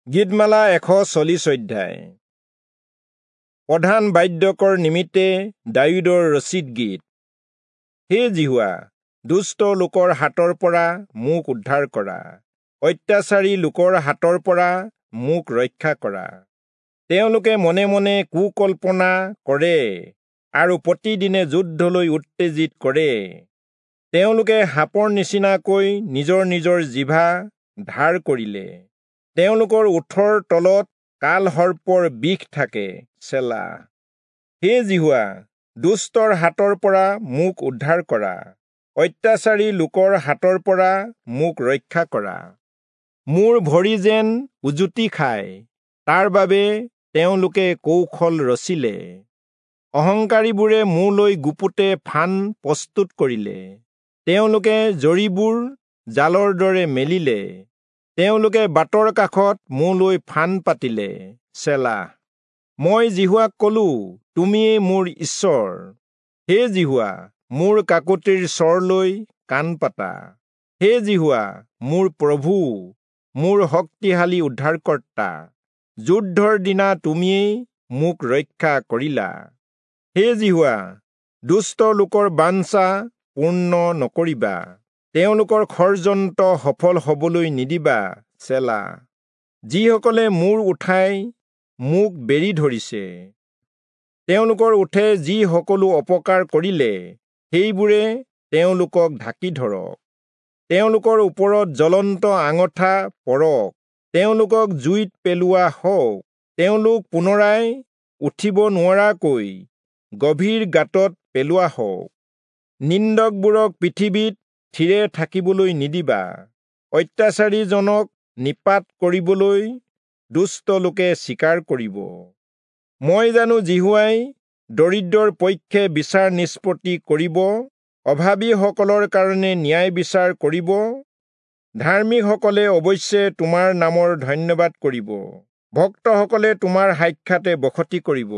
গীতমালা 140 অধ্যায়। প্ৰধান বাদ্যকৰ নিমিত্তে দায়ূদৰ ৰচিত গীত। হে যিহোৱা, দুষ্ট লোকৰ হাতৰ পৰা মোক উদ্ধাৰ কৰা, অত্যাচাৰী লোকৰ হাতৰ পৰা মোক ৰক্ষা কৰা। তেওঁলোকে মনে মনে কুকল্পনা কৰে আৰু প্ৰতিদিনে যুদ্ধলৈ উত্তেজিত কৰে। তেওঁলোকে সাপৰ নিচিনাকৈ নিজৰ নিজৰ জিভা ধাৰ কৰিলে। তেওঁলোকৰ ওঁঠৰ তলত কালসৰ্পৰ বিষ থাকে। চেলা। হে যিহোৱা, দুষ্টৰ হাতৰ পৰা মোক উদ্ধাৰ কৰা, অত্যাচাৰী লোকৰ হাতৰ পৰা মোক ৰক্ষা কৰা। মোৰ ভৰি যেন উজুতি খায়, তাৰ বাবে তেওঁলোকে কৌশল ৰচিলে। অহংকাৰীবোৰে মোলৈ গুপুতে ফান প্ৰস্তুত কৰিলে। তেওঁলোকে জৰীবোৰ জালৰ দৰে মেলিলে। তেওঁলোকে বাটৰ কাষত মোলৈ ফান পাতিলে। চেলা। মই যিহোৱাক কলো, তুমিয়েই মোৰ ঈশ্বৰ। হে যিহোৱা, মোৰ কাকূতিৰ স্বৰলৈ কাণ পাতা। হে যিহোৱা, মোৰ প্ৰভু, মোৰ শক্তিশালী উদ্ধাৰকৰ্তা, যুদ্ধৰ দিনা তুমিয়েই মোক ৰক্ষা কৰিলা। হে যিহোৱা, দুষ্ট লোকৰ বাঞ্ছা পূৰ্ণ নকৰিবা, তেওঁলোকৰ ষড়যন্ত্ৰ সফল হবলৈ নিদিবা। চেলা। যিসকলে মূৰ উঠাই মোক বেৰি ধৰিছে, তেওঁলোকৰ ওঁঠে যি সকলো অপকাৰ কৰিলে, সেইবোৰে তেওঁলোকক ঢাকি ধৰক। তেওঁলোকৰ ওপৰত জ্বলন্ত আঙঠা পৰক, তেওঁলোকক জুইত পেলোৱা হওক। তেওঁলোক পুনৰাই উঠিব নোৱাৰাকৈ গভীৰ গাঁতত পেলোৱা হওক। নিন্দকবোৰক পৃথিৱীত থিৰে থাকিবলৈ নিদিবা, অত্যাচাৰীজনক নিপাত কৰিবলৈ দুষ্ট লোকে স্বীকাৰ কৰিব। মই জানো যিহোৱাই দৰিদ্ৰৰ পক্ষে বিচাৰ নিষ্পত্তি কৰিব, অভাৱীসকলৰ কাৰণে ন্যায় বিচাৰ কৰিব। ধাৰ্মিকসকলে অৱশ্যে তোমাৰ নামৰ ধন্যবাদ কৰিব, ভক্তসকলে তোমাৰ সাক্ষাতে বসতি কৰিব।